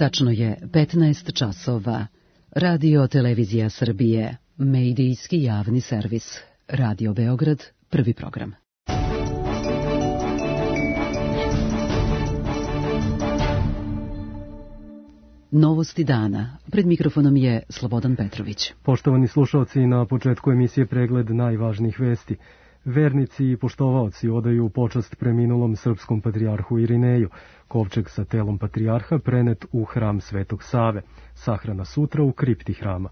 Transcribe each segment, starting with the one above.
Tačno je 15 časova. Radio Televizija Srbije, medijski javni servis. Radio Beograd, prvi program. Novosti dana. Pred mikrofonom je Slobodan Petrović. Poštovani slušalci, na početku emisije pregled najvažnijih vesti. Vernici i poštovaoci odaju počast preminulom srpskom patrijarhu Irineju. Kovčeg sa telom patrijarha prenet u hram Svetog Save. Sahrana sutra u kripti hrama.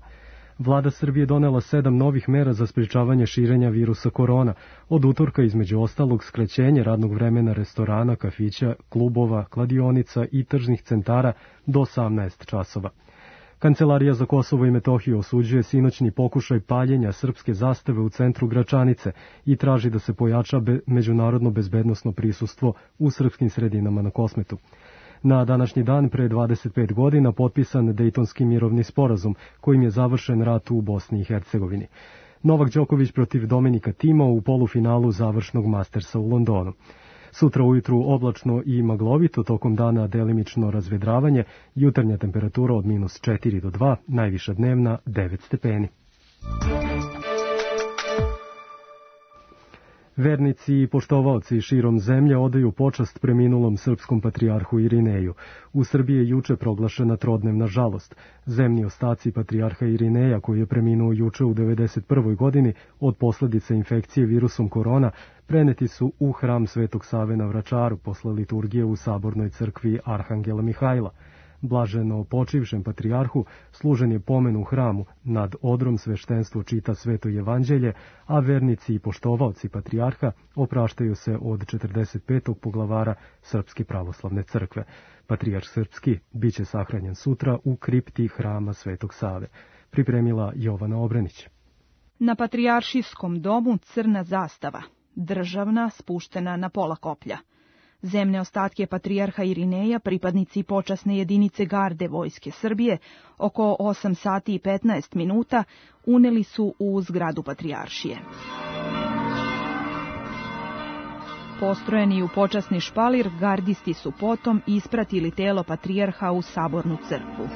Vlada Srbije donela 7 novih mera za sprečavanje širenja virusa korona. Od utorka između ostalog skraćenje radnog vremena restorana, kafića, klubova, kladionica i tržnih centara do 18 časova. Kancelarija za Kosovo i Metohiju osuđuje sinoćni pokušaj paljenja srpske zastave u centru Gračanice i traži da se pojača međunarodno bezbednosno prisustvo u srpskim sredinama na Kosmetu. Na današnji dan pre 25 godina potpisan Dejtonski mirovni sporazum kojim je završen rat u Bosni i Hercegovini. Novak Đoković protiv Dominika Tima u polufinalu završnog Mastersa u Londonu. Sutra ujutru oblačno i maglovito, tokom dana delimično razvedravanje, jutarnja temperatura od -4 do 2, najviša dnevna 9 stepeni. Vernici i poštovaoci širom zemlje odaju počast preminulom srpskom patrijarhu Irineju. U Srbiji je juče proglašena trodnevna žalost. Zemni ostaci patrijarha Irineja, koji je preminuo juče u 91. godini od posledica infekcije virusom korona, preneti su u hram Svetog Save na Vračaru posle liturgije u Sabornoj crkvi Arhangela Mihajla. Blaženo počivšem patrijarhu služen je pomen u hramu, nad odrom sveštenstvo čita Sveto evanđelje, a vernici i poštovaoci patrijarha opraštaju se od 45. poglavara Srpske pravoslavne crkve. Patrijarh srpski biće sahranjen sutra u kripti hrama Svetog Save. Pripremila Jovana Obrenić. Na patrijaršijskom domu crna zastava, državna spuštena na pola koplja. Zemne ostatke patrijarha Irineja, pripadnici počasne jedinice garde Vojske Srbije, oko 8 sati i 15 minuta uneli su u zgradu patrijaršije. Postrojeni u počasni špalir, gardisti su potom ispratili telo patrijarha u Sabornu crkvu.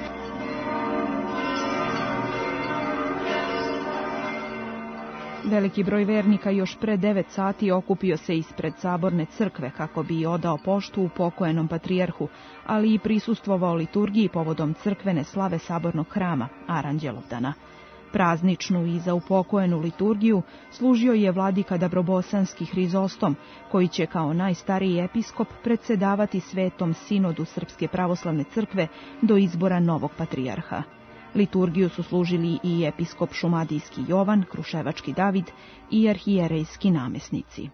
Veliki broj vernika još pre 9 sati okupio se ispred Saborne crkve kako bi odao poštu upokojenom patrijarhu, ali i prisustvovao liturgiji povodom crkvene slave Sabornog hrama, Aranđelovdana. Prazničnu i za upokojenu liturgiju služio je vladika Dabrobosanski Hrizostom, koji će kao najstariji episkop predsedavati Svetom sinodu Srpske pravoslavne crkve do izbora novog patrijarha. Liturgiju su služili i episkop Šumadijski Jovan, Kruševački David i arhijerejski namesnici.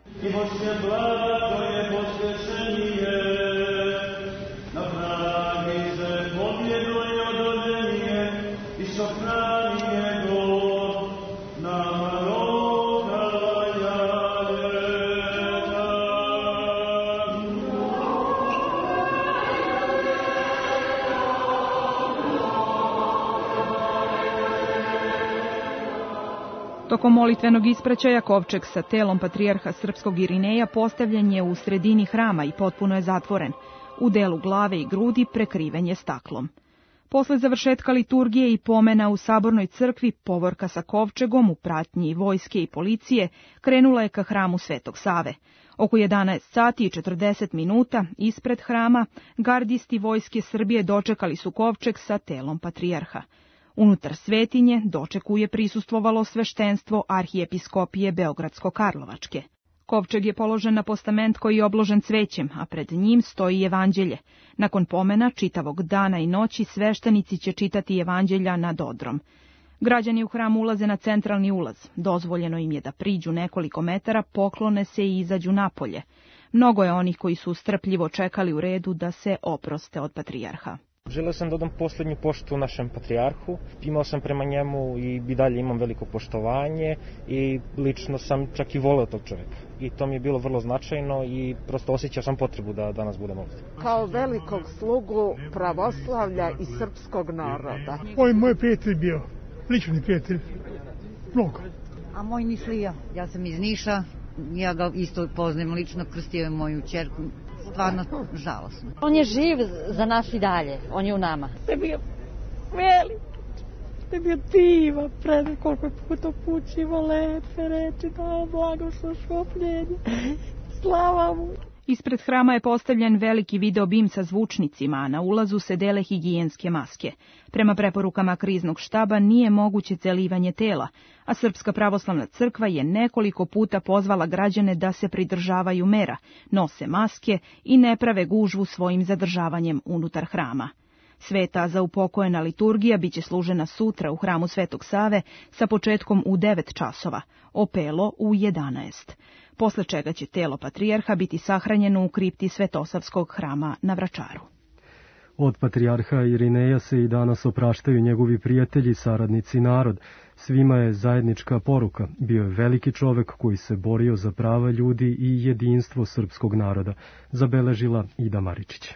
Tokom molitvenog ispraćaja kovčeg sa telom patrijarha srpskog Irineja postavljen je u sredini hrama i potpuno je zatvoren. U delu glave i grudi prekriven je staklom. Posle završetka liturgije i pomena u Sabornoj crkvi, povorka sa kovčegom u pratnji vojske i policije krenula je ka hramu Svetog Save. Oko 11 sati i 40 minuta ispred hrama gardisti Vojske Srbije dočekali su kovčeg sa telom patrijarha. Unutar svetinje dočeku je prisustvovalo sveštenstvo arhijepiskopije Beogradsko-Karlovačke. Kovčeg je položen na postament koji je obložen cvećem, a pred njim stoji evanđelje. Nakon pomena čitavog dana i noći sveštenici će čitati evanđelja nad odrom. Građani u hram ulaze na centralni ulaz. Dozvoljeno im je da priđu nekoliko metara, poklone se i izađu napolje. Mnogo je onih koji su strpljivo čekali u redu da se oproste od patrijarha. Želeo sam da odam posljednju poštu našem patrijarhu, imao sam prema njemu i dalje imam veliko poštovanje i lično sam čak i voleo tog čovjeka. I to mi je bilo vrlo značajno i prosto osjećao sam potrebu da danas budem ovdje. Kao velikog slugu pravoslavlja i srpskog naroda. On je moj prijatelj bio, lični prijatelj, mnogo. A moj Nislija, ja sam iz Niša, ja ga isto poznajem lično, krstio je moju ćerku stvarno žalosno. On je živ za nas i dalje, on je u nama. To je bio velik, to je bio divan, predaj koliko je puta pućivo lepe reči, da blagoslov šopljenje, slava mu. Ispred hrama je postavljen veliki video bim sa zvučnicima, a na ulazu se dele higijenske maske. Prema preporukama kriznog štaba nije moguće celivanje tela, a Srpska pravoslavna crkva je nekoliko puta pozvala građane da se pridržavaju mera, nose maske i ne prave gužvu svojim zadržavanjem unutar hrama. Sveta zaupokojena liturgija biće služena sutra u hramu Svetog Save sa početkom u 9 časova, opelo u 11. Posle čega će telo patrijarha biti sahranjeno u kripti Svetosavskog hrama na Vračaru. Od patrijarha Irineja se i danas opraštaju njegovi prijatelji, saradnici i narod. Svima je zajednička poruka. Bio je veliki čovek koji se borio za prava ljudi i jedinstvo srpskog naroda, zabeležila Ida Maričić.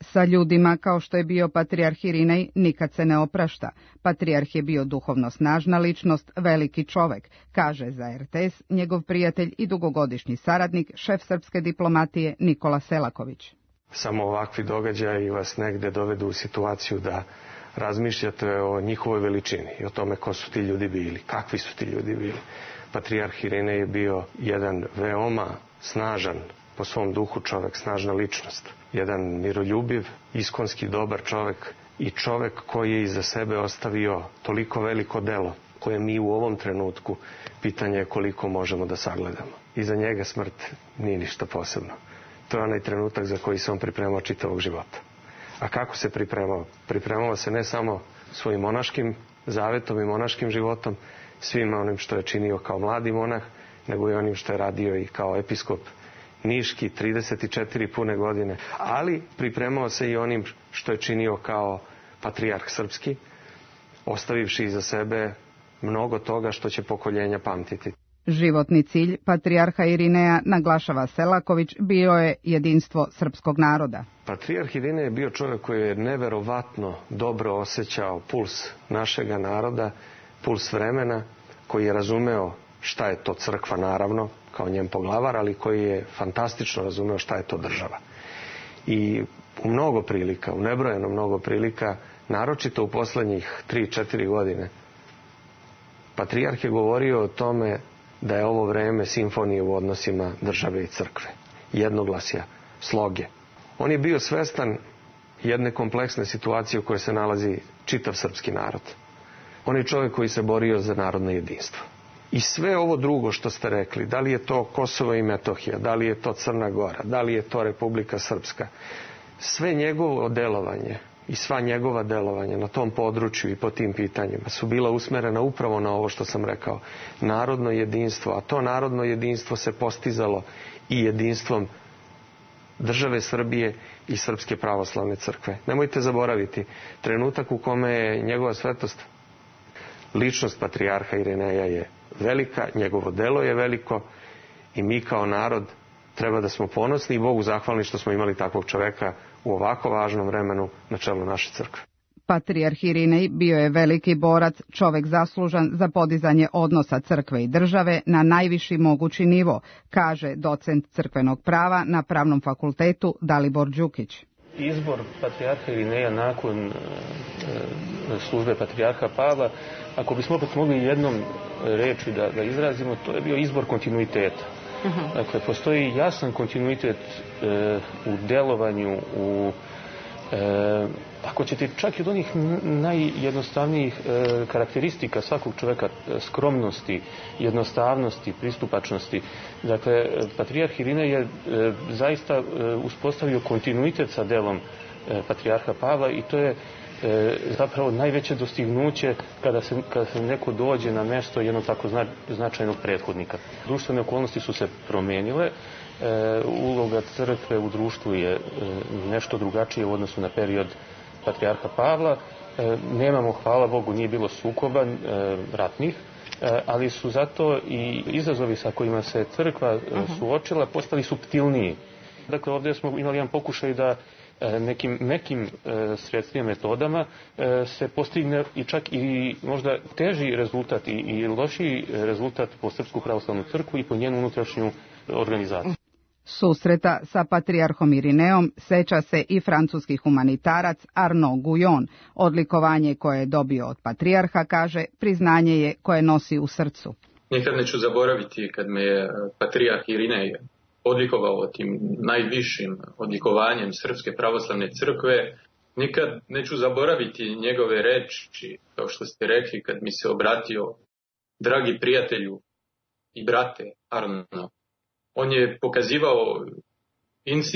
Sa ljudima kao što je bio patrijarh Irinej nikad se ne oprašta. Patrijarh je bio duhovno snažna ličnost, veliki čovek, kaže za RTS njegov prijatelj i dugogodišnji saradnik, šef srpske diplomatije Nikola Selaković. Samo ovakvi događaji vas negde dovedu u situaciju da razmišljate o njihovoj veličini i o tome ko su ti ljudi bili, kakvi su ti ljudi bili. Patrijarh Irinej je bio jedan veoma snažan po svom duhu čovek, snažna ličnost. Jedan miroljubiv, iskonski dobar čovek i čovek koji je iza sebe ostavio toliko veliko delo koje mi u ovom trenutku pitanje je koliko možemo da sagledamo. Iza njega smrt nije ništa posebno. To je onaj trenutak za koji se on pripremao čitavog života. A kako se pripremao? Pripremao se ne samo svojim monaškim zavetom i monaškim životom, svima onim što je činio kao mladi monah, nego i onim što je radio i kao episkop Niški, 34 pune godine, ali pripremao se i onim što je činio kao patrijarh srpski, ostavivši iza sebe mnogo toga što će pokoljenja pamtiti. Životni cilj patrijarha Irineja, naglašava Selaković, bio je jedinstvo srpskog naroda. Patrijarh Irinej je bio čovjek koji je neverovatno dobro osjećao puls našega naroda, puls vremena, koji je razumeo šta je to crkva, naravno, kao njen poglavar, ali koji je fantastično razumeo šta je to država. I u mnogo prilika, u nebrojeno mnogo prilika, naročito u poslednjih 3-4 godine, patrijarh je govorio o tome da je ovo vreme simfonije u odnosima države i crkve, jednoglasja, sloge. On je bio svestan jedne kompleksne situacije u kojoj se nalazi čitav srpski narod. On je čovjek koji se borio za narodno jedinstvo. I sve ovo drugo što ste rekli, da li je to Kosovo i Metohija, da li je to Crna Gora, da li je to Republika Srpska, sve njegovo delovanje i sva njegova delovanja na tom području i po tim pitanjima su bila usmerena upravo na ovo što sam rekao, narodno jedinstvo, a to narodno jedinstvo se postizalo i jedinstvom države Srbije i Srpske pravoslavne crkve. Nemojte zaboraviti, trenutak u kome je njegova svetost, ličnost patrijarha Irineja je velika, njegovo delo je veliko i mi kao narod treba da smo ponosni i Bogu zahvalni što smo imali takvog čoveka u ovako važnom vremenu na čelu naše crkve. Patrijarh Irinej bio je veliki borac, čovek zaslužan za podizanje odnosa crkve i države na najviši mogući nivo, kaže docent crkvenog prava na Pravnom fakultetu Dalibor Đukić. Izbor patrijarha Irineja nakon službe patrijarha Pavla, ako bismo opet mogli jednom reči da izrazimo, to je bio izbor kontinuiteta. Dakle, postoji jasan kontinuitet u delovanju, ako ćete čak i od onih najjednostavnijih karakteristika svakog čoveka, skromnosti, jednostavnosti, pristupačnosti. Dakle, patrijarh Irinej je zaista uspostavio kontinuitet sa delom patrijarha Pavla i to je zapravo najveće dostignuće kada se neko dođe na mesto jednog tako značajnog prethodnika. Društvene okolnosti su se promenile, uloga crkve u društvu je nešto drugačije u odnosu na period patrijarha Pavla. Nemamo, hvala Bogu, nije bilo sukoba ratnih, ali su zato i izazovi sa kojima se crkva suočila postali suptilniji. Dakle, ovdje smo imali jedan pokušaj da nekim mekim sredstvima, metodama se postigne i čak i možda teži rezultat i lošiji rezultat po Srpsku pravoslavnu crkvu i po njenu unutrašnju organizaciju. Susreta sa patrijarhom Irineom seća se i francuski humanitarac Arnaud Guyon. Odlikovanje koje je dobio od patrijarha, kaže, priznanje je koje nosi u srcu. Nikad neću zaboraviti kad me je patrijarh Irinej odlikovao tim najvišim odlikovanjem Srpske pravoslavne crkve. Nikad neću zaboraviti njegove reči, kao što ste rekli, kad mi se obratio: dragi prijatelju i brate Arno. On je pokazivao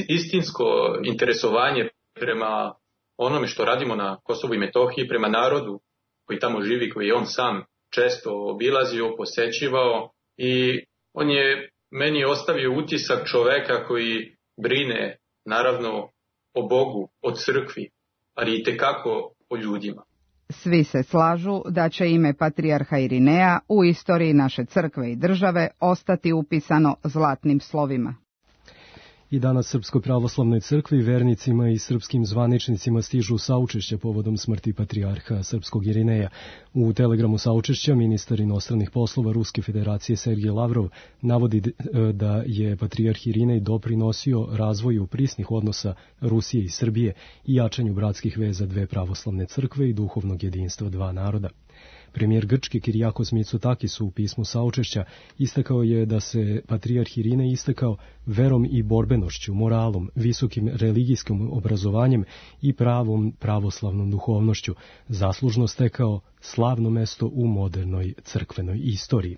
istinsko interesovanje prema onome što radimo na Kosovu i Metohiji, prema narodu koji tamo živi, koji je on sam često obilazio, posećivao, i on je meni ostavio utisak čoveka koji brine, naravno, o Bogu, o crkvi, ali i tekako o ljudima. Svi se slažu da će ime patrijarha Irineja u istoriji naše crkve i države ostati upisano zlatnim slovima. I danas Srpskoj pravoslavnoj crkvi, vernicima i srpskim zvaničnicima stižu saučešća povodom smrti patrijarha srpskog Irineja. U telegramu saučešća ministar inostranih poslova Ruske federacije Sergej Lavrov navodi da je patrijarh Irinej doprinosio razvoju prisnih odnosa Rusije i Srbije i jačanju bratskih veza dve pravoslavne crkve i duhovnog jedinstva dva naroda. Premijer Grčke Kirijakos Mitsotakis u pismu saučešća istakao je da se patrijarh Irinej istakao verom i borbenošću, moralom, visokim religijskim obrazovanjem i pravom pravoslavnom duhovnošću, zaslužno stekao slavno mesto u modernoj crkvenoj istoriji.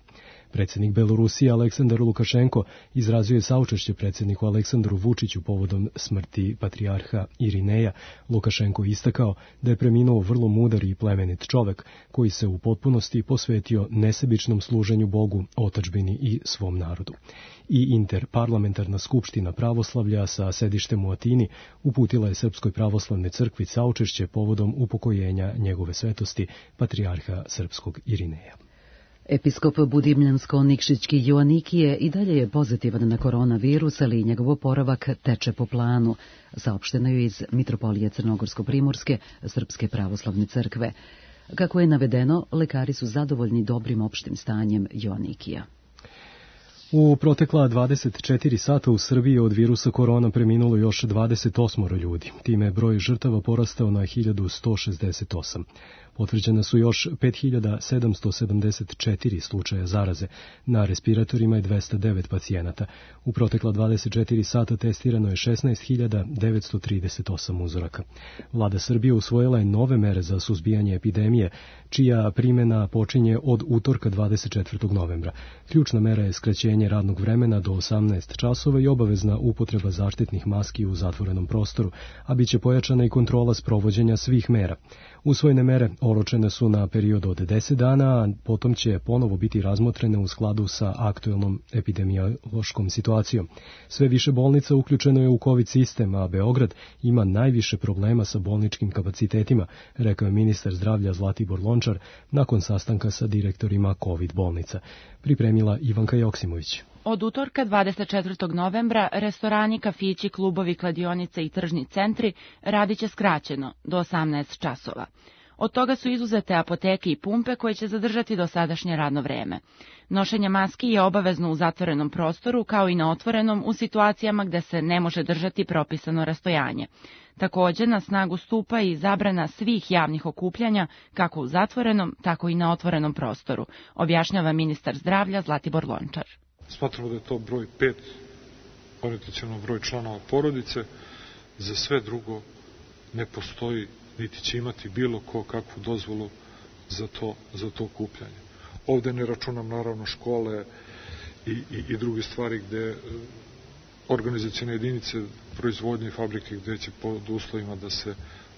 Predsjednik Belorusije Aleksandar Lukašenko izrazio je saučešće predsjedniku Aleksandru Vučiću povodom smrti patrijarha Irineja. Lukašenko istakao da je preminuo vrlo mudar i plemenit čovek koji se u potpunosti posvetio nesebičnom služenju Bogu, otadžbini i svom narodu. I Interparlamentarna skupština pravoslavlja sa sedištem u Atini uputila je Srpskoj pravoslavnoj crkvi saučešće povodom upokojenja njegove svetosti patrijarha srpskog Irineja. Episkop Budimljansko-Nikšićki Joanikije i dalje je pozitivan na koronavirus, ali njegov oporavak teče po planu, saopšteno je iz Mitropolije Crnogorsko-Primorske Srpske pravoslavne crkve. Kako je navedeno, lekari su zadovoljni dobrim opštim stanjem Joanikija. U protekla 24 sata u Srbiji od virusa korona preminulo još 28 ljudi. Time je broj žrtava porastao na 1168. Potvrđene su još 5774 slučaja zaraze. Na respiratorima je 209 pacijenata. U protekla 24 sata testirano je 16.938 uzoraka. Vlada Srbije usvojila je nove mere za suzbijanje epidemije, čija primjena počinje od utorka 24. novembra. Ključna mera je skraćenje radnog vremena do 18 časova i obavezna upotreba zaštitnih maski u zatvorenom prostoru, a bit će pojačana i kontrola sprovođenja svih mera. Usvojene mere oročene su na period od 10 dana, a potom će ponovo biti razmotrene u skladu sa aktuelnom epidemiološkom situacijom. Sve više bolnica uključeno je u COVID sistem, a Beograd ima najviše problema sa bolničkim kapacitetima, rekao je ministar zdravlja Zlatibor Lončar nakon sastanka sa direktorima COVID bolnica. Pripremila Ivanka Joksimović. Od utorka 24. novembra restorani, kafići, klubovi, kladionice i tržni centri radit će skraćeno do 18 časova. Od toga su izuzete apoteke i pumpe koje će zadržati dosadašnje radno vreme. Nošenje maski je obavezno u zatvorenom prostoru kao i na otvorenom u situacijama gde se ne može držati propisano rastojanje. Također na snagu stupa i zabrana svih javnih okupljanja kako u zatvorenom tako i na otvorenom prostoru, objašnjava ministar zdravlja Zlatibor Lončar. Smatramo da je to broj 5, orijentaciono broj članova porodice. Za sve drugo ne postoji, niti će imati bilo ko kakvu dozvolu za to okupljanje. Ovde ne računam naravno škole i druge stvari gde organizacione jedinice, proizvodnje i fabrike gde će pod uslovima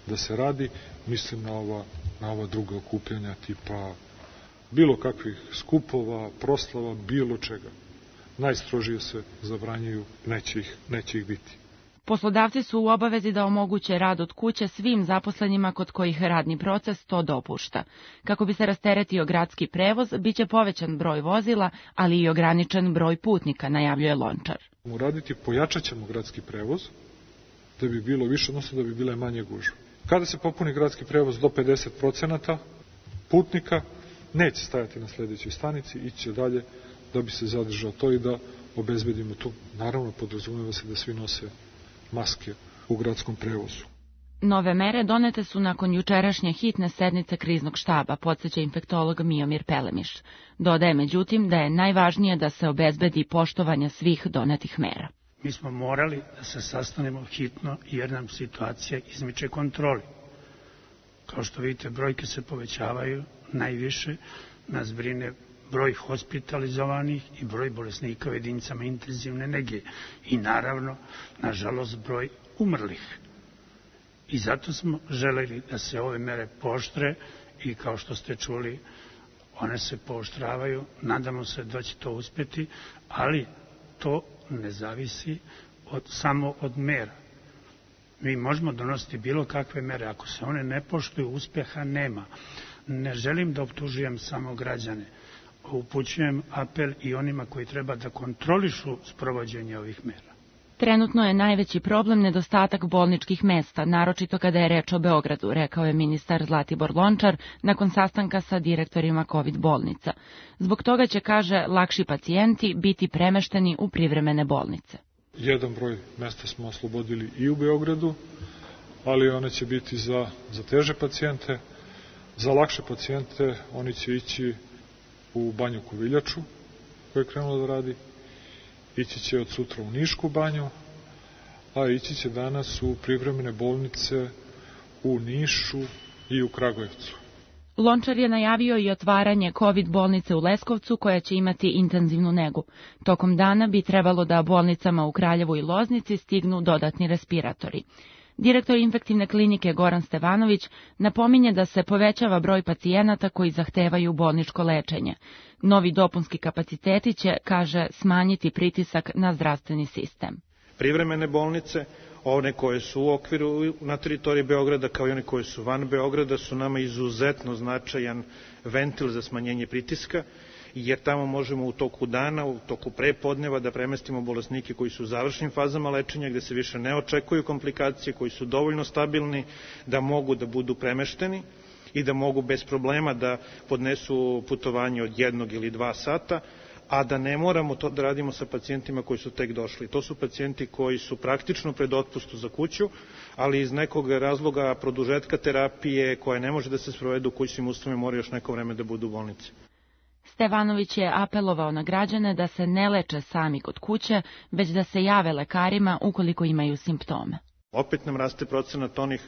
da se radi. Mislim na ova druga okupljanja tipa bilo kakvih skupova, proslava, bilo čega. Najstrožije se zabranjuju, neće ih biti. Poslodavci su u obavezi da omoguće rad od kuće svim zaposlenima kod kojih radni proces to dopušta. Kako bi se rasteretio gradski prevoz, biće povećan broj vozila, ali i ograničen broj putnika, najavljuje Lončar. Uraditi, pojačat ćemo gradski prevoz, da bi bilo više, odnosno da bi bile manje gužve. Kada se popuni gradski prevoz do 50% putnika, neće stajati na sljedećoj stanici, ići će dalje da bi se zadržao to i da obezbedimo to. Naravno, podrazumeva se da svi nose maske u gradskom prevozu. Nove mere donete su nakon jučerašnje hitne sednice kriznog štaba, podsjeća infektolog Miomir Pelemiš. Dodaje međutim da je najvažnije da se obezbedi poštovanje svih donetih mera. Mi smo morali da se sastanemo hitno jer nam situacija izmiče kontroli. Kao što vidite, brojke se povećavaju, najviše nas brine broj hospitalizovanih i broj bolesnika u jedinicama intenzivne nege i naravno, nažalost, broj umrlih. I zato smo želeli da se ove mere pooštre i kao što ste čuli, one se pooštravaju, nadamo se da će to uspeti, ali to ne zavisi samo od mera. Mi možemo donositi bilo kakve mere, ako se one ne poštuju, uspeha nema. Ne želim da optužujem samo građane, upućujem apel i onima koji treba da kontrolišu sprovođenje ovih mera. Trenutno je najveći problem nedostatak bolničkih mesta, naročito kada je reč o Beogradu, rekao je ministar Zlatibor Lončar nakon sastanka sa direktorima COVID bolnica. Zbog toga će, kaže, lakši pacijenti biti premešteni u privremene bolnice. Jedan broj mesta smo oslobodili i u Beogradu, ali one će biti za teže pacijente. Za lakše pacijente oni će ići u Banju Koviljaču, koja je krenula da radi. Ići će od sutra u Nišku banju, a ići će danas u privremene bolnice u Nišu i u Kragujevcu. Lončar je najavio i otvaranje COVID bolnice u Leskovcu koja će imati intenzivnu negu. Tokom dana bi trebalo da bolnicama u Kraljevu i Loznici stignu dodatni respiratori. Direktor infektivne klinike Goran Stevanović napominje da se povećava broj pacijenata koji zahtevaju bolničko lečenje. Novi dopunski kapaciteti će, kaže, smanjiti pritisak na zdravstveni sistem. Privremene bolnice, one koje su u okviru na teritoriji Beograda kao i one koje su van Beograda su nama izuzetno značajan ventil za smanjenje pritiska, jer tamo možemo u toku dana, u toku prepodneva da premestimo bolesnike koji su u završnim fazama lečenja, gde se više ne očekuju komplikacije, koji su dovoljno stabilni da mogu da budu premešteni i da mogu bez problema da podnesu putovanje od 1 ili 2 sata, a da ne moramo to da radimo sa pacijentima koji su tek došli. To su pacijenti koji su praktično pred otpustu za kuću, ali iz nekog razloga produžetka terapije koja ne može da se sprovede u kućnim uslovima mora još neko vreme da budu u bolnici. Stevanović je apelovao na građane da se ne leče sami kod kuće, već da se jave lekarima ukoliko imaju simptome. Opet nam raste procenat onih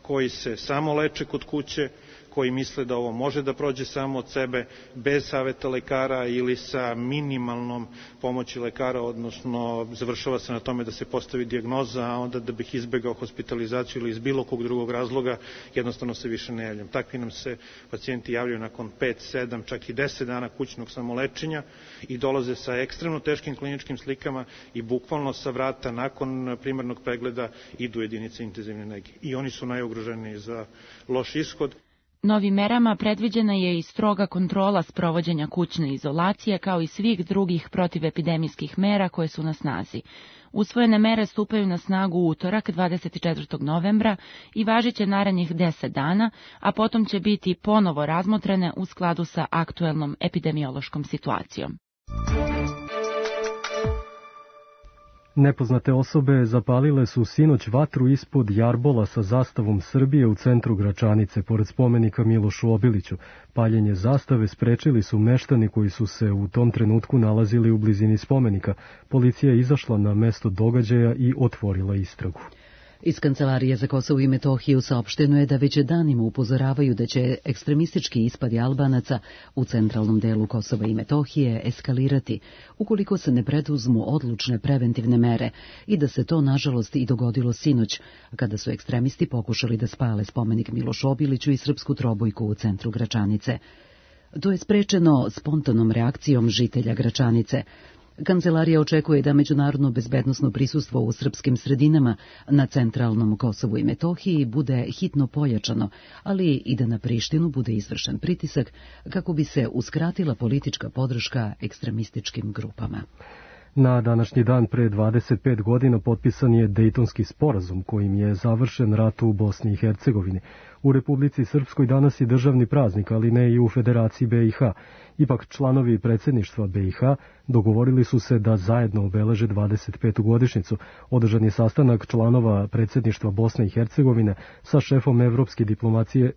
koji se samo leče kod kuće, koji misle da ovo može da prođe samo od sebe, bez saveta lekara ili sa minimalnom pomoći lekara, odnosno završava se na tome da se postavi dijagnoza, a onda da bih izbegao hospitalizaciju ili iz bilo kog drugog razloga, jednostavno se više ne javljam. Takvi nam se pacijenti javljaju nakon 5, 7, čak i 10 dana kućnog samolečenja i dolaze sa ekstremno teškim kliničkim slikama i bukvalno sa vrata nakon primarnog pregleda idu jedinice intenzivne nege. I oni su najugroženiji za loš ishod. Novim merama predviđena je i stroga kontrola sprovođenja kućne izolacije kao i svih drugih protivepidemijskih mera koje su na snazi. Usvojene mere stupaju na snagu u utorak 24. novembra i važiće narednih 10 dana, a potom će biti ponovo razmotrene u skladu sa aktuelnom epidemiološkom situacijom. Nepoznate osobe zapalile su sinoć vatru ispod jarbola sa zastavom Srbije u centru Gračanice, pored spomenika Milošu Obiliću. Paljenje zastave sprečili su meštani koji su se u tom trenutku nalazili u blizini spomenika. Policija je izašla na mesto događaja i otvorila istragu. Iz Kancelarije za Kosovo i Metohiju saopšteno je da već danima upozoravaju da će ekstremistički ispadi Albanaca u centralnom delu Kosova i Metohije eskalirati ukoliko se ne preduzmu odlučne preventivne mere i da se to nažalost i dogodilo sinoć kada su ekstremisti pokušali da spale spomenik Milošu Obiliću i srpsku trobojku u centru Gračanice. To je sprečeno spontanom reakcijom žitelja Gračanice. Kancelarija očekuje da međunarodno bezbednosno prisustvo u srpskim sredinama na centralnom Kosovu i Metohiji bude hitno pojačano, ali i da na Prištinu bude izvršen pritisak kako bi se uskratila politička podrška ekstremističkim grupama. Na današnji dan pre 25 godina potpisan je Dejtonski sporazum kojim je završen rat u Bosni i Hercegovini. U Republici Srpskoj danas je državni praznik, ali ne i u Federaciji BiH. Ipak članovi predsjedništva BiH dogovorili su se da zajedno obeleže 25. godišnjicu. Održan je sastanak članova predsjedništva Bosne i Hercegovine sa šefom evropske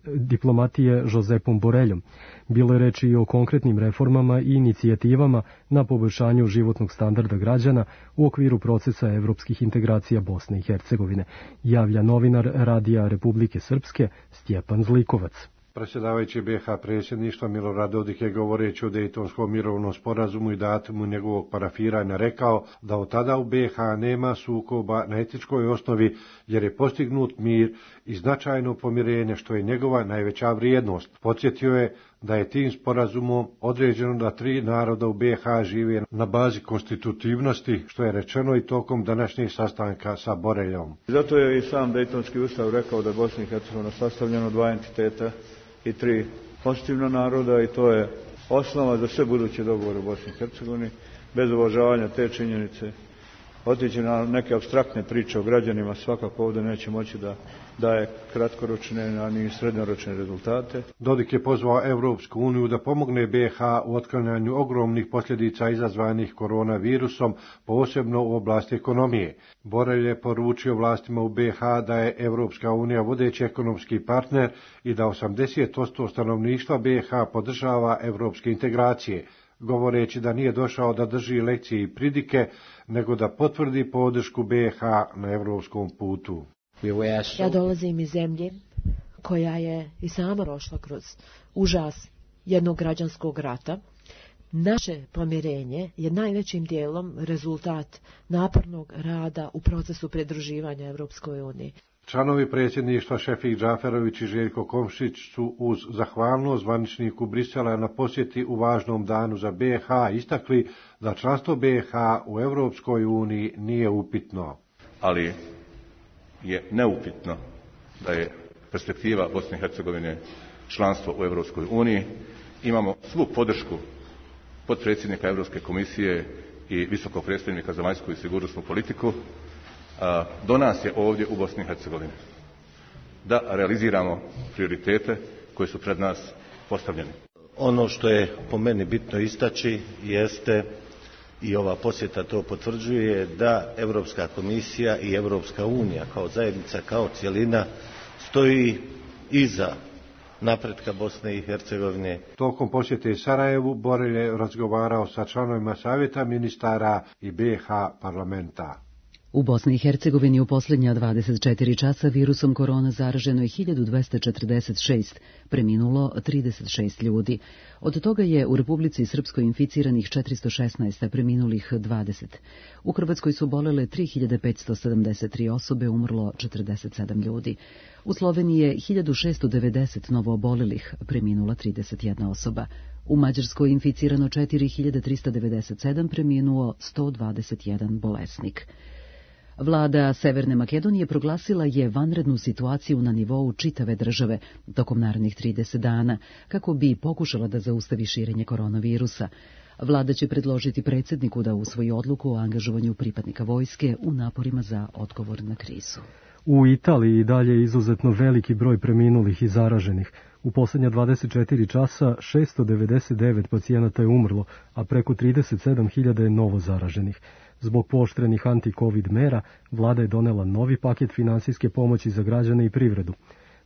diplomatije Josepom Boreljom. Bilo je reči i o konkretnim reformama i inicijativama na poboljšanju životnog standarda građana u okviru procesa evropskih integracija Bosne i Hercegovine, javlja novinar Radija Republike Srpske Stjepan Zlikovac. Predsjedavajući BiH predsjedništva Milorad Dodik je govoreći o Dejtonskom mirovnom sporazumu i datumu njegovog parafiranja rekao da od tada u BiH nema sukoba na etičkoj osnovi jer je postignut mir i značajno pomirenje što je njegova najveća vrijednost. Podsjetio je da je tim sporazumom određeno da 3 naroda u BiH žive na bazi konstitutivnosti, što je rečeno i tokom današnjeg sastanka sa Boreljom. Zato je i sam Dejtonski ustav rekao da je Bosna i Hercegovina sastavljena od 2 entiteta i 3 konstitutivna naroda i to je osnova za sve buduće dogovore u Bosni i Hercegovini. Bez uvažavanja te činjenice otići na neke apstraktne priče o građanima svakako ovdje neće moći da daje kratkoročne, a ni srednjoročne rezultate. Dodik je pozvao Evropsku uniju da pomogne BiH u otklanjanju ogromnih posljedica izazvanih koronavirusom, posebno u oblasti ekonomije. Borelj je poručio vlastima u BiH da je Evropska unija vodeći ekonomski partner i da 80% stanovništva BiH podržava evropske integracije, govoreći da nije došao da drži lekcije i pridike, nego da potvrdi podršku BiH na evropskom putu. Ja dolazim iz zemlje koja je i sama prošla kroz užas jednog građanskog rata. Naše pomirenje je najvećim dijelom rezultat napornog rada u procesu pridruživanja Evropskoj uniji. Članovi predsjedništva Šefik Džaferović i Željko Komšić su uz zahvalnost zvaničniku Brisela na posjeti u važnom danu za BiH istakli da članstvo BiH u Evropskoj uniji nije upitno. Ali je neupitno da je perspektiva Bosne i Hercegovine članstvo u Evropskoj uniji. Imamo svu podršku potpredsjednika Europske komisije i visokog predstavnika za vanjsku i sigurnosnu politiku. Do nas je ovdje u Bosni i Hercegovini da realiziramo prioritete koji su pred nas postavljeni. Ono što je po meni bitno istaći jeste, i ova posjeta to potvrđuje, da Europska komisija i Europska unija kao zajednica, kao cjelina stoji iza napretka Bosne i Hercegovine. Tokom posjete Sarajevu Borelj je razgovarao sa članovima Savjeta ministara i BiH parlamenta. U Bosni i Hercegovini u posljednja 24 časa virusom korona zaraženo je 1246, preminulo 36 ljudi. Od toga je u Republici Srpskoj inficiranih 416, a preminulih 20. U Hrvatskoj su bolele 3573 osobe, umrlo 47 ljudi. U Sloveniji je 1690 novoobolelih, preminula 31 osoba. U Mađarskoj inficirano 4397, preminuo 121 bolesnik. Vlada Severne Makedonije proglasila je vanrednu situaciju na nivou čitave države tokom narednih 30 dana, kako bi pokušala da zaustavi širenje koronavirusa. Vlada će predložiti predsjedniku da usvoji odluku o angažovanju pripadnika vojske u naporima za odgovor na krizu. U Italiji dalje je izuzetno veliki broj preminulih i zaraženih. U posljednja 24 časa 699 pacijenata je umrlo, a preko 37.000 je novo zaraženih. Zbog pooštrenih anti-covid mera, vlada je donela novi paket finansijske pomoći za građane i privredu.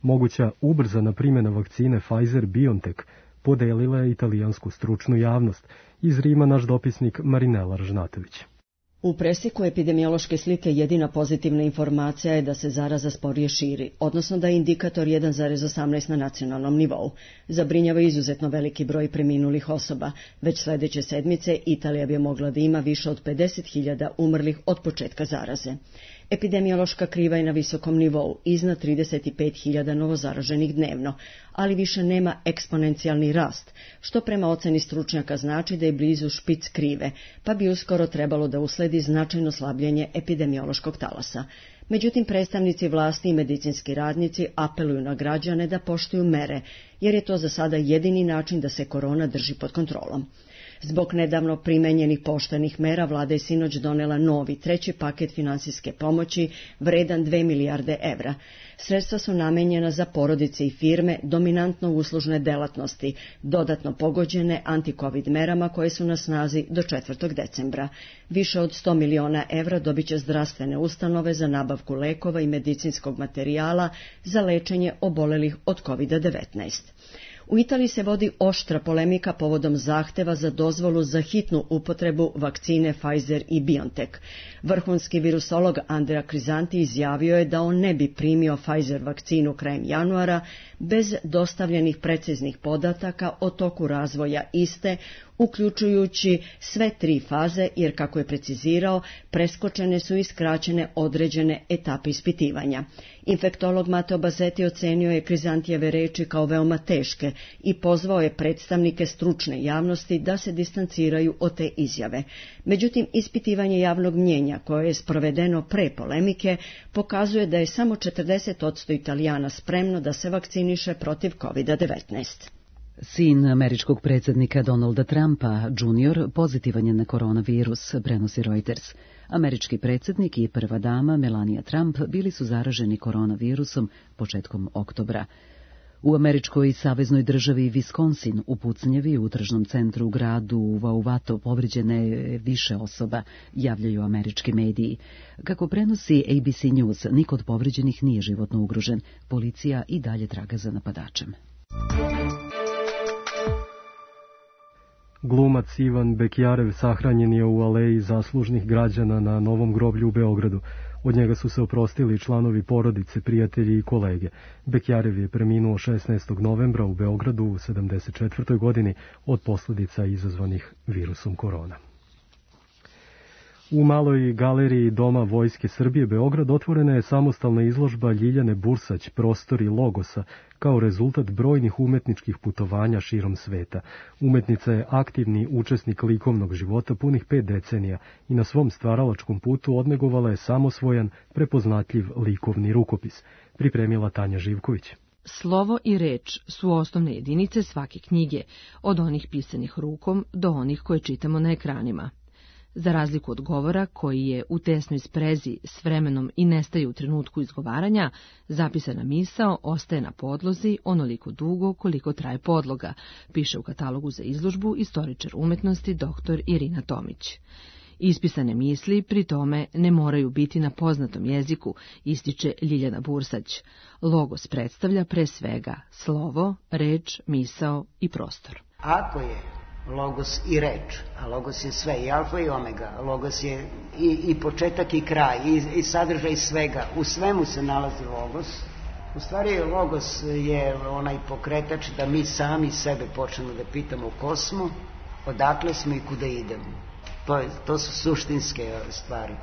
Moguća ubrzana primjena vakcine Pfizer-BioNTech podelila je italijansku stručnu javnost. Iz Rima naš dopisnik Marinela Ražnatović. U presjeku epidemiološke slike jedina pozitivna informacija je da se zaraza sporije širi, odnosno da je indikator 1,18 na nacionalnom nivou. Zabrinjava izuzetno veliki broj preminulih osoba. Već sljedeće sedmice Italija bi mogla da ima više od 50.000 umrlih od početka zaraze. Epidemiološka kriva je na visokom nivou, iznad 35.000 novozaraženih dnevno, ali više nema eksponencijalni rast, što prema oceni stručnjaka znači da je blizu špic krive, pa bi uskoro trebalo da usledi značajno slabljenje epidemiološkog talasa. Međutim, predstavnici vlasti i medicinski radnici apeluju na građane da poštuju mere, jer je to za sada jedini način da se korona drži pod kontrolom. Zbog nedavno primenjenih pooštrenih mera, vlada je sinoć donela novi, treći paket finansijske pomoći vredan 2 milijarde evra. Sredstva su namenjena za porodice i firme, dominantno uslužne delatnosti, dodatno pogođene anti-covid merama koje su na snazi do 4. decembra. Više od 100 miliona evra dobit će zdravstvene ustanove za nabavku lekova i medicinskog materijala za lečenje obolelih od COVID-19. U Italiji se vodi oštra polemika povodom zahteva za dozvolu za hitnu upotrebu vakcine Pfizer i BioNTech. Vrhunski virusolog Andrea Crisanti izjavio je da on ne bi primio Pfizer vakcinu krajem januara bez dostavljenih preciznih podataka o toku razvoja iste, uključujući sve 3 faze, jer, kako je precizirao, preskočene su i skraćene određene etape ispitivanja. Infektolog Matteo Bazzetti ocenio je Crisantijeve reči kao veoma teške i pozvao je predstavnike stručne javnosti da se distanciraju od te izjave. Međutim, ispitivanje javnog mnjenja koje je sprovedeno pre polemike pokazuje da je samo 40% Italijana spremno da se vakciniše protiv COVID-19. Sin američkog predsjednika Donalda Trumpa, Jr., pozitivan je na koronavirus, prenosi Reuters. Američki predsjednik i prva dama Melania Trump bili su zaraženi koronavirusom početkom oktobra. U američkoj saveznoj državi Wisconsin u pucnjevi u tržnom centru u gradu Wauwatoe povrijeđene je više osoba, javljaju američki mediji. Kako prenosi ABC News, niko od povrijeđenih nije životno ugrožen. Policija i dalje traga za napadačem. Glumac Ivan Bekjarev sahranjen je u aleji zaslužnih građana na Novom groblju u Beogradu. Od njega su se oprostili članovi porodice, prijatelji i kolege. Bekjarev je preminuo 16. novembra u Beogradu u 74. godini od posljedica izazvanih virusom korona. U maloj galeriji Doma Vojske Srbije Beograd otvorena je samostalna izložba Ljiljane Bursać, Prostori Logosa, kao rezultat brojnih umetničkih putovanja širom sveta. Umetnica je aktivni učesnik likovnog života punih 5 decenija i na svom stvaralačkom putu odnegovala je samosvojan, prepoznatljiv likovni rukopis, pripremila Tanja Živković. Slovo i reč su osnovne jedinice svake knjige, od onih pisanih rukom do onih koje čitamo na ekranima. Za razliku od govora, koji je u tesnoj sprezi s vremenom i nestaje u trenutku izgovaranja, zapisana misao ostaje na podlozi onoliko dugo koliko traje podloga, piše u katalogu za izložbu istoričar umetnosti dr. Irina Tomić. Ispisane misli pri tome ne moraju biti na poznatom jeziku, ističe Ljiljana Bursać. Logos predstavlja pre svega slovo, reč, misao i prostor. Ako je logos i reč, a logos je sve, i alfa i omega, logos je i početak i kraj, i sadržaj svega, u svemu se nalazi logos. U stvari logos je onaj pokretač da mi sami sebe počnemo da pitamo ko smo, odakle smo i kuda idemo. To su suštinske stvari.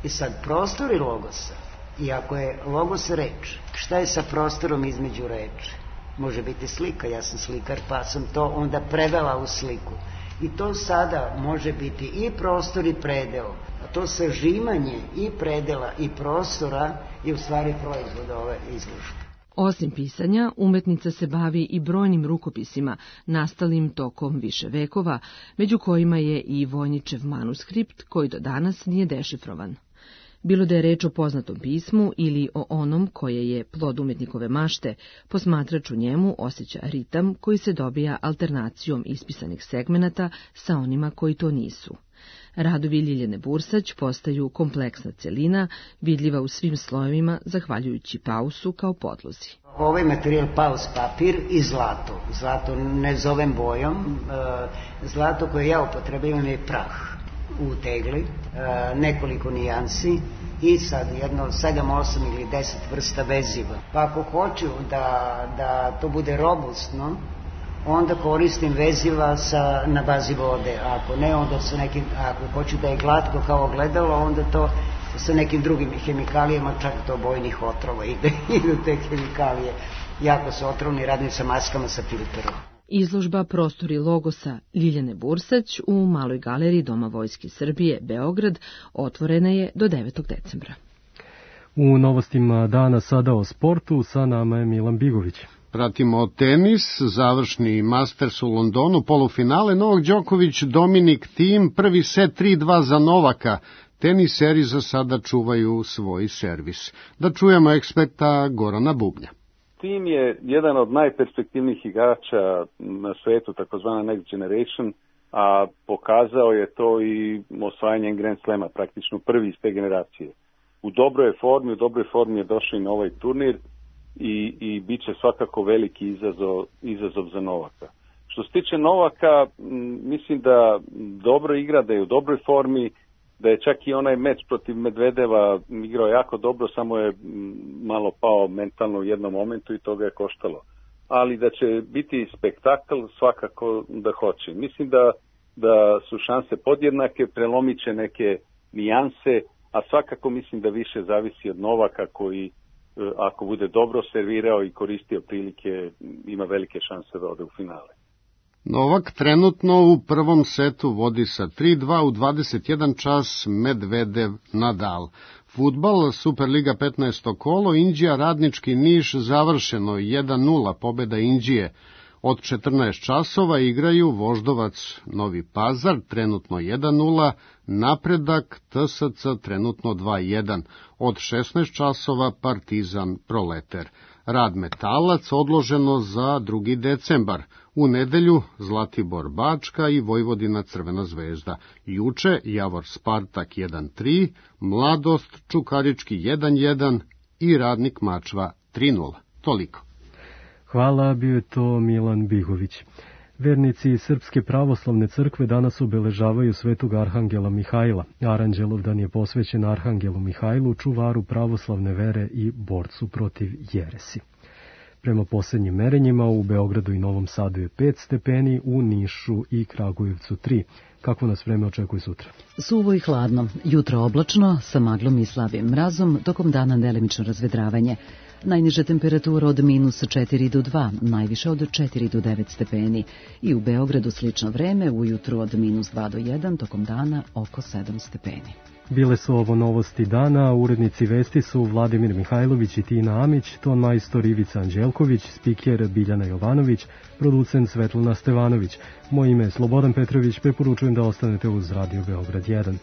I sad prostori logosa, i ako je logos reč, šta je sa prostorom između reči? Može biti slika, ja sam slikar pa sam to onda prevela u sliku. I to sada može biti i prostor i predeo. A to sažimanje i predela i prostora je u stvari proizvod ove izložbe. Osim pisanja, umetnica se bavi i brojnim rukopisima, nastalim tokom više vekova, među kojima je i Vojničev manuskript, koji do danas nije dešifrovan. Bilo da je reč o poznatom pismu ili o onom koje je plod umetnikove mašte, posmatrač u njemu osjeća ritam koji se dobija alternacijom ispisanih segmenata sa onima koji to nisu. Radovi Ljiljane Bursać postaju kompleksna celina, vidljiva u svim slojevima, zahvaljujući pausu kao podlozi. Ovaj materijal paus papir i zlato. Zlato ne zovem bojom. Zlato koje ja upotrebljavam je prah u tegli, nekoliko nijansi i sad jedno 7, 8 ili 10 vrsta veziva. Pa ako hoću da to bude robustno, onda koristim veziva na bazi vode. Ako ne, onda ako hoću da je glatko kao ogledalo, onda to sa nekim drugim hemikalijama, čak do bojnih otrova idu te hemikalije. Jako su otrovni, radim sa maskama sa filterom. Izložba Prostori logosa Ljiljane Bursać u Maloj galeriji Doma Vojske Srbije, Beograd, otvorena je do 9. decembra. U novostima dana sada o sportu, sa nama je Milan Bigović. Pratimo tenis, završni Masters u Londonu, polufinale Novak Đoković, Dominik Thiem, prvi set 3-2 za Novaka. Teniseri za sada čuvaju svoj servis. Da čujemo eksperta Gorana Bubnja. Thiem je jedan od najperspektivnijih igrača na svetu, takozvana Next Generation, a pokazao je to i osvajanjem Grand Slema, praktično prvi iz te generacije. U dobroj formi je došao i na ovaj turnir i bit će svakako veliki izazov za Novaka. Što se tiče Novaka, mislim da dobro igra, da je u dobroj formi, da je čak i onaj meč protiv Medvedeva igrao jako dobro, samo je malo pao mentalno u jednom momentu i to ga je koštalo. Ali da će biti spektakl, svakako da hoće. Mislim da su šanse podjednake, prelomit će neke nijanse, a svakako mislim da više zavisi od Novaka koji, ako bude dobro servirao i koristio prilike, ima velike šanse da ode u finale. Novak trenutno u prvom setu vodi sa 3-2 u 21 čas, Medvedev Nadal. Fudbal, Superliga 15. kolo, Inđija Radnički Niš završeno 1-0, pobeda Inđije. Od 14 časova igraju Voždovac Novi Pazar, trenutno 1-0, Napredak TSC trenutno 2-1. Od 16 časova Partizan Proleter. Rad Metalac odloženo za 2. decembar. U nedelju Zlatibor Bačka i Vojvodina Crvena zvezda. Juče Javor Spartak 1-3, Mladost Čukarički 1-1 i Radnik Mačva 3-0. Toliko. Hvala, bio je to Milan Bigović. Vernici Srpske pravoslavne crkve danas obeležavaju svetog Arhangela Mihajla. Aranđelovdan je posvećen Arhangelu Mihajlu, čuvaru pravoslavne vere i borcu protiv jeresi. Prema posljednjim merenjima u Beogradu i Novom Sadu je 5 stepeni, u Nišu i Kragujevcu 3. Kako nas vreme očekuje sutra? Suvo i hladno, jutro oblačno, sa maglom i slabim mrazom, tokom dana delimično razvedravanje. Najniža temperatura od -4 do 2, najviše od 4 do 9 stepeni. I u Beogradu slično vreme, ujutru od -2 do 1, tokom dana oko 7 stepeni. Bile su ovo novosti dana, urednici vesti su Vladimir Mihajlović i Tina Amić, ton majstor Ivica Anđelković, spiker Biljana Jovanović, producent Svetlana Stevanović. Moje ime je Slobodan Petrović, preporučujem da ostanete uz Radio Beograd 1.